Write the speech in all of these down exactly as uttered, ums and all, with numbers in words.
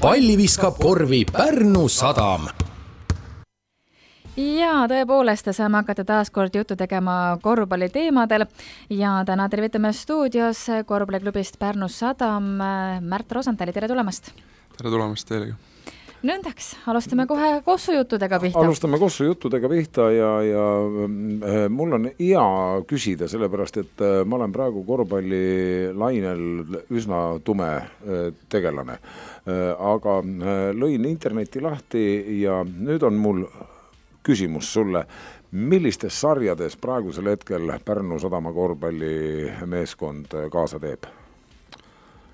palli viskab korvi Pärnu Sadam. Ja tõepoolest saame hakata taas kord juttu tegema korvpalli teemadel ja täna tervitame stuudios korvpalliklubist Pärnu Sadam Märt Rosenthali, tere tulemast! Tere tulemast teile! Nõndaks, alustame kohe kossujuttudega pihta. Alustame kossujuttudega pihta ja, ja mul on hea küsida, sellepärast, et ma olen praegu korvpallilainel üsna tume tegelane. Aga lõin interneti lahti ja nüüd on mul küsimus sulle, millistes sarjades praegusel hetkel Pärnu Sadama korvpallimeeskond kaasa teeb?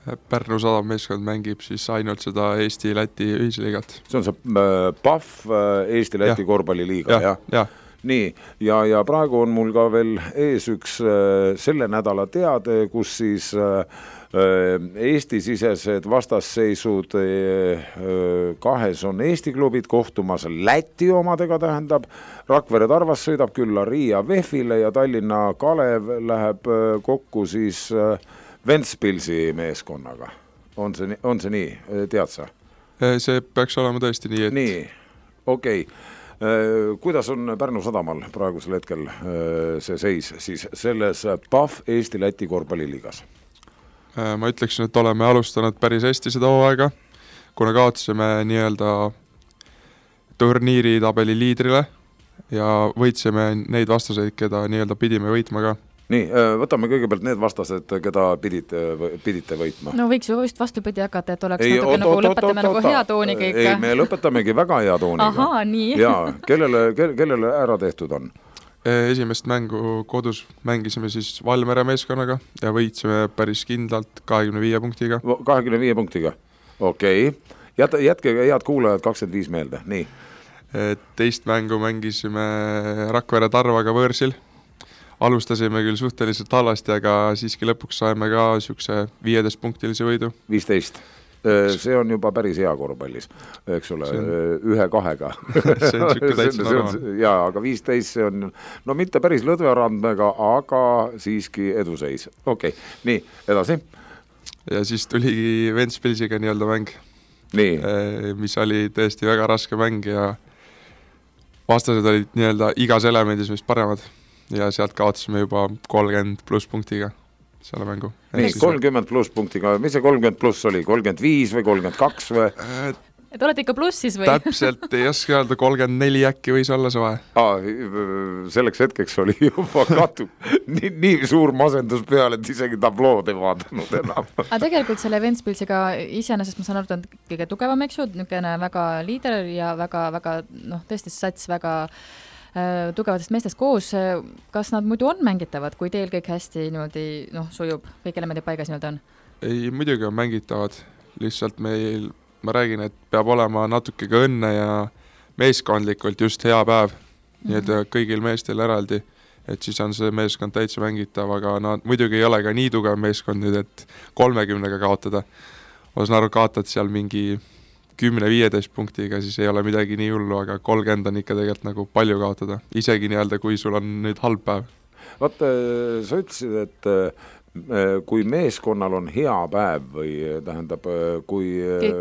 Pärnu Sadama meeskond mängib siis ainult seda Eesti-Läti ühisliigat. See on see P A F Eesti-Läti korvpalliliiga, jah? Ja. Nii, ja, ja praegu on mul ka veel ees üks selle nädala teade, kus siis Eesti-sisesed vastasseisud kahes on Eesti klubid, kohtumas Läti omadega tähendab, Rakvere Tarvas sõidab külla Riia Vehvile ja Tallinna Kalev läheb kokku siis Ventspilsi meeskonnaga. On see, on see nii, tead sa? See peaks olema tõesti nii, et... Nii, okei. Okay. Kuidas on Pärnu Sadamal praegusel hetkel see seis siis selles P A F Eesti-Läti korvpalliliigas? Ma ütleksin, et oleme alustanud päris hästi seda hooaega, kuna kaotasime nii-öelda turniiri tabeli liidrile ja võitsime neid vastaseid, keda nii-öelda pidime võitma ka. Nii, võtame kõigepealt need vastased, keda pidite, pidite võitma. No võiks ju vist vastupidi hakata, et oleks ei, natuke oot, nagu oot, lõpetame oot, nagu hea tooniga ikka. Ei, me lõpetamegi väga hea tooniga. Ahaa, nii. Jaa, kellele, kellele ära tehtud on? Esimest mängu kodus mängisime siis Valmere meeskonnaga ja võitsime päris kindlalt kahekümne viie punktiga. kahekümne viie punktiga, okei. Okay. Jätke head kuulajad kakskümmend viis meelde, nii. Teist mängu mängisime Rakvere Tarvaga võõrsil. Alustasime küll suhteliselt halvasti, aga siiski lõpuks saime ka siukse viieteist punktilise võidu. viisteist. See on juba päris hea korvpallis, eks ole, on... ühe kahega. See on siuke täitsa normaal. Jaa, aga viisteist see on, no mitte päris lõdverandmega, aga siiski eduseis. Okei, okay. Nii, edasi. Ja siis tuligi Ventspilsiga nii-öelda mäng, nii. Mis oli tõesti väga raske mäng ja vastased olid nii-öelda igas elemendis vist paremad ja sealt kaotasime juba kolmkümmend pluss punktiga selle mängu. Nii, kolmkümmend pluss punktiga, mis see kolmkümmend pluss oli? kolmkümmend viis või kolmkümmend kaks või? Et olete ikka plussis või? Täpselt, ei oska öelda, kolmkümmend neli äkki võis olla see vahe. Aa, selleks hetkeks oli juba katu nii, nii suur masendus peale, et isegi tablood ei vaadanud enam. Aga tegelikult selle Ventspilsiga iseenesest ma saan aru, et on kõige tugevam, eks ju, niisugune väga liider ja väga, väga, noh, tõesti sats väga tugevatest meestest koos, kas nad muidu on mängitavad, kui teil kõik hästi niimoodi, noh, sujub, kõik elemendid paigas niimoodi on? Ei, muidugi on mängitavad, lihtsalt meil, ma räägin, et peab olema natuke ka õnne ja meeskondlikult just hea päev, mm-hmm. nii et kõigil meestel eraldi, et siis on see meeskond täitsa mängitav, aga nad muidugi ei ole ka nii tugev meeskond nüüd, et kolmekümnega kaotada. Ma saan aru, kaotad seal mingi kümne viieteist punktiga, siis ei ole midagi nii hullu, aga kolmkümmend on ikka tegelikult nagu palju kaotada. Isegi nii-öelda, kui sul on nüüd halb päev. Vaata, sa ütlesid, et kui meeskonnal on hea päev või tähendab, kui...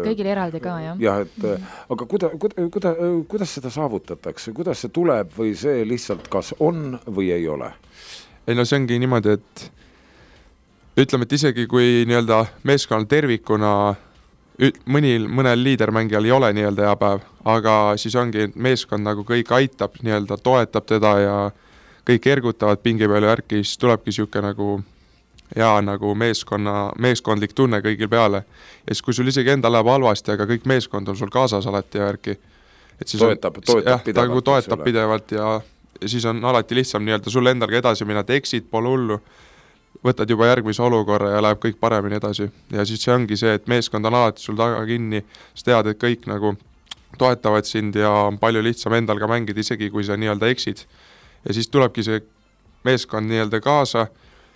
Kõigil eraldi ka, jah. Jah, et, mm. aga kuda, kuda, kuda, kuidas seda saavutatakse? Kuidas see tuleb või see lihtsalt kas on või ei ole? Ei, no see ongi niimoodi, et ütleme, et isegi kui nii-öelda meeskonnal tervikuna mõnil, mõnel liidermängijal ei ole nii-öelda hea päev, aga siis ongi meeskond nagu kõik aitab, nii-öelda toetab teda ja kõik ergutavad pingi peale järgi, siis tulebki siuke nagu hea nagu meeskonna, meeskondlik tunne kõigil peale. Ja siis kui sul isegi enda läheb halvasti, aga kõik meeskond on sul kaasas alati järgi. Et siis toetab, on, toetab jah, pidevalt. Ta toetab pidevalt ja, ja siis on alati lihtsam nii-öelda sul endalga edasi minna, et exit pole hullu. Võtad juba järgmise olukorra ja läheb kõik paremini edasi. Ja siis see ongi see, et meeskond on alati sul taga kinni, sa tead, et kõik nagu toetavad sind ja on palju lihtsam endal ka mängida, isegi kui sa nii-öelda eksid. Ja siis tulebki see meeskond nii-öelda kaasa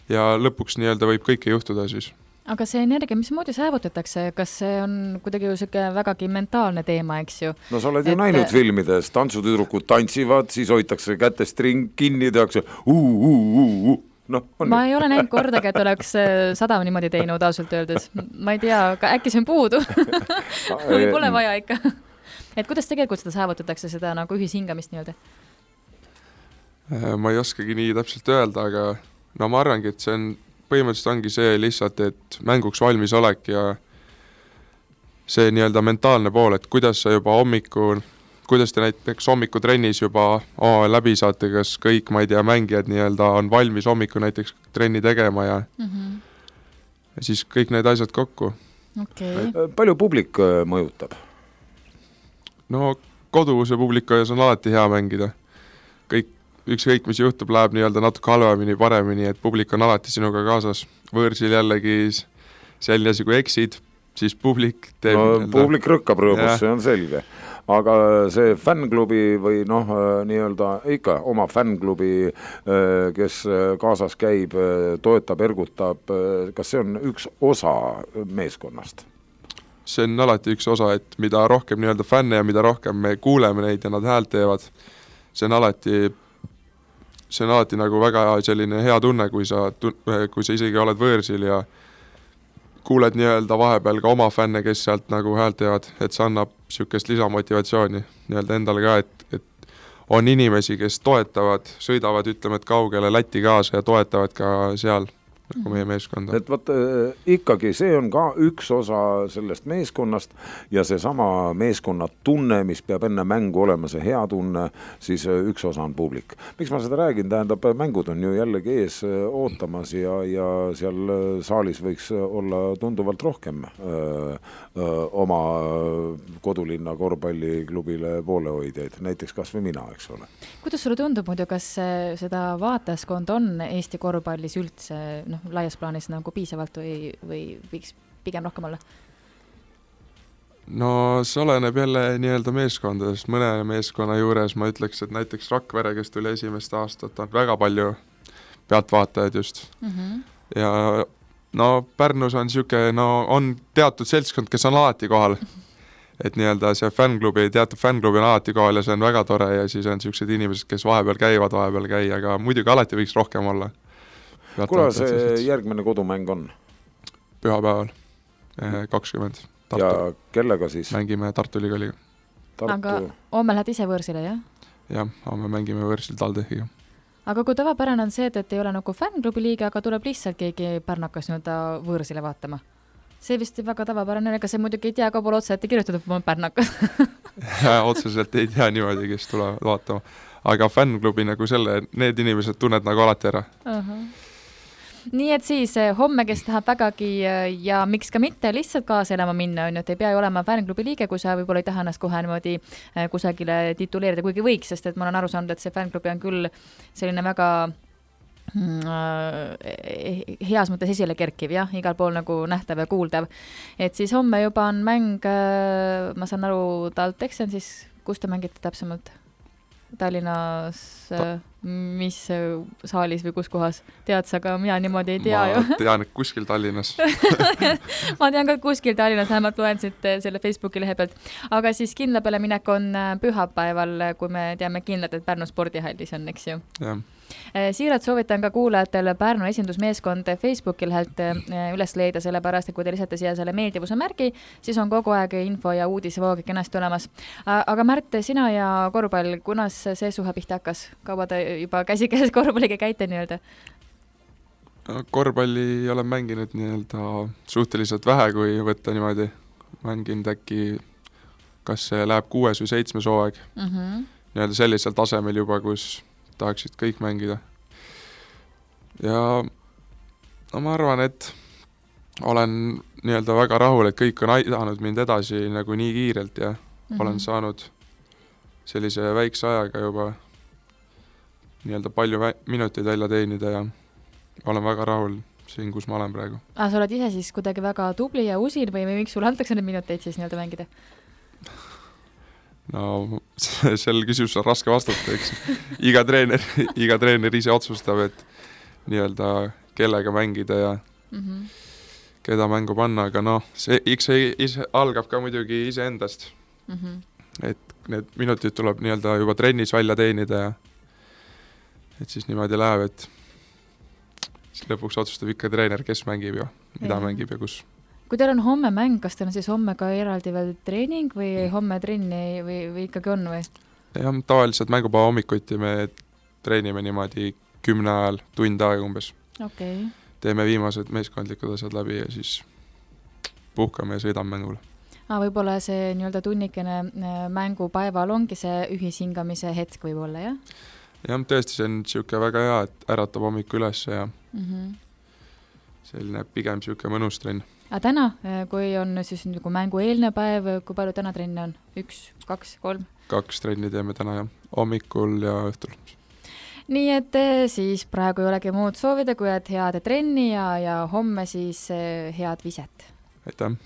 ja lõpuks nii-öelda võib kõike juhtuda siis. Aga see energia, mis moodi saavutatakse, kas see on kuidagi ju selline vägagi mentaalne teema, eks ju? No sa oled ju et... näinud filmides, tantsutüdrukud tantsivad, siis hoitakse kätest ring kinni, tehakse uu, uu, uu, uu. No, ma ei ole näinud kordagi, et oleks Sadam niimoodi teinud ausalt öeldes. Ma ei tea, aga äkki see on puudu või pole vaja ikka. Et kuidas tegelikult seda saavutatakse, seda nagu ühishingamist nii-öelda? Ma ei oskagi nii täpselt öelda, aga no ma arvangi, et see on, põhimõtteliselt ongi see lihtsalt, et mänguks valmis olek ja see nii-öelda mentaalne pool, et kuidas sa juba hommikul kuidas te näiteks hommikutrennis juba oh, läbi saate, kas kõik, ma ei tea, mängijad nii-öelda on valmis hommiku näiteks trenni tegema ja, mm-hmm. ja siis kõik need asjad kokku. Okay. Palju publik mõjutab? No koduse publiku ees on alati hea mängida. Kõik, ükskõik mis juhtub, läheb nii-öelda natuke halvemini, paremini, et publik on alati sinuga kaasas. Võõrsil jällegi selline asi, kui eksid, siis publik teeb... No, nii-öelda... publik rõkkab rõõmus, see on selge. Aga see fännklubi või noh, nii-öelda ikka oma fännklubi, kes kaasas käib, toetab, ergutab, kas see on üks osa meeskonnast? See on alati üks osa, et mida rohkem nii-öelda fänne ja mida rohkem me kuuleme neid ja nad häält teevad, see on alati, see on alati nagu väga selline hea tunne, kui sa, kui sa isegi oled võõrsil ja kuuled nii-öelda vahepeal ka oma fänne, kes sealt nagu häält teevad, et see annab sükest lisamotivatsiooni nii-öelda endale ka, et, et on inimesi, kes toetavad, sõidavad, ütleme, et kaugele Läti kaasa ja toetavad ka seal nagu meie meeskonda. Et võt, ikkagi see on ka üks osa sellest meeskonnast ja see sama meeskonna tunne, mis peab enne mängu olema see hea tunne, siis üks osa on publik. Miks ma seda räägin? Tähendab, mängud on ju jällegi ees ootamas ja, ja seal saalis võiks olla tunduvalt rohkem öö, öö, oma kodulinna korvpalliklubile poolehoidjaid, näiteks kas või mina, eks ole. Kuidas sulle tundub muidu, kas seda vaatajaskond on Eesti korvpallis üldse noh, laias plaanis nagu piisavalt või, või võiks pigem rohkem olla? No see oleneb jälle nii-öelda meeskondadest. Mõne meeskonna juures ma ütleks, et näiteks Rakvere, kes tuli esimest aastat, on väga palju pealtvaatajaid just. Mm-hmm. Ja no Pärnus on siuke, no on teatud seltskond, kes on alati kohal. Et nii-öelda see fännklubi, teatud fännklubi on alati kohal ja see on väga tore ja siis on siuksed inimesed, kes vahepeal käivad, vahepeal käi, aga muidugi alati võiks rohkem olla. Kuna see järgmine kodumäng on? Pühapäeval kakskümmend. Tartu. Ja kellega siis? Mängime Tartu Ülikooliga. Tartu... Aga homme lähed ise võõrsile, jah? Jah, homme mängime võõrsil Taldehiga. Aga kui tavapärane on see, et ei ole nagu fännklubi liiga, aga tuleb lihtsalt keegi pärnakas nüüd võõrsile vaatama? See vist väga tavapärane, ega see muidugi ei tea ka pole otse, et kirjutatud oma pärnakas. Ja, otseselt ei tea niimoodi, kes tulevad vaatama. Aga fännklubi nagu selle, need inimesed tunned nagu alati ära. Uh-huh. Nii et siis homme, kes tahab vägagi ja miks ka mitte lihtsalt kaasa elama minna, on ju, et ei pea ju olema fännklubi liige, kui sa võib-olla ei taha ennast kohe niimoodi kusagile tituleerida, kuigi võiks, sest et ma olen aru saanud, et see fännklubi on küll selline väga heas mõttes esile kerkiv, jah, igal pool nagu nähtav ja kuuldav. Et siis homme juba on mäng, ma saan aru, TalTech on siis, kus te mängite täpsemalt? Tallinnas, Ta- mis saalis või kus kohas? Tead sa ka, mina niimoodi ei tea ma ju. Ma tean, et kuskil Tallinnas. Ma tean ka kuskil Tallinnas, vähemalt loen siit selle Facebooki lehe pealt. Aga siis kindla peale minek on pühapäeval, kui me teame kindlalt, et Pärnu spordihallis on, eks ju. Jah. Siiralt soovitan ka kuulajatel Pärnu esindusmeeskond Facebooki lehelt üles leida, sellepärast, et kui te lisate siia selle meeldivuse märgi, siis on kogu aeg info ja uudisvoog kenasti olemas. Aga Märt, sina ja korvpall, kunas see suhe pihta hakkas? Kaua te juba käsikäes korvpalliga käite nii-öelda? Korvpalli olen mänginud nii-öelda suhteliselt vähe, kui võtta niimoodi. Mänginud äkki, kas see läheb kuues või seitsmes hooaeg. Mm-hmm. Nii-öelda sellisel tasemel juba, kus tahaksid kõik mängida. Ja no ma arvan, et olen nii-öelda väga rahul, et kõik on aidanud mind edasi nagu nii kiirelt ja mm-hmm. olen saanud sellise väikse ajaga juba nii-öelda palju vä- minuteid välja teenida ja olen väga rahul siin, kus ma olen praegu. Ah, sa oled ise siis kuidagi väga tubli ja usin või miks sulle antakse need minuteid siis nii-öelda mängida? No sel küsimus on raske vastata, eks. Iga treener, iga treener ise otsustab, et nii-öelda kellega mängida ja mm-hmm. keda mängu panna, aga noh, see eks see ise, algab ka muidugi ise endast. Mm-hmm. Et need minutid tuleb nii-öelda juba trennis välja teenida ja et siis niimoodi läheb, et siis lõpuks otsustab ikka treener, kes mängib ja mida ja. mängib ja kus. Kui teil on homme mäng, kas teil on siis homme ka eraldi veel treening või homme trenni või, või ikkagi on või? Jah, tavaliselt mängupäeva hommikuti me treenime niimoodi kümne ajal, tund aega umbes. Okay. Teeme viimased meeskondlikud asjad läbi ja siis puhkame ja sõidame mängule. Ah, võib-olla see nii-öelda tunnikene mängupäeval ongi see ühishingamise hetk võib-olla, jah? Jah, tõesti, see on siuke väga hea, et äratab hommiku üles ja mm -hmm. selline pigem siuke mõnus trenn. Aga täna, kui on siis nagu mängu eelne päev, kui palju täna trenne on? Üks, kaks, kolm? Kaks trenni teeme täna ja hommikul ja õhtul. Nii et siis praegu ei olegi muud soovida, kui et head trenni ja, ja homme siis head viset. Aitäh!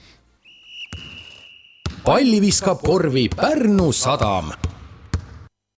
Palli viskab korvi Pärnu Sadam.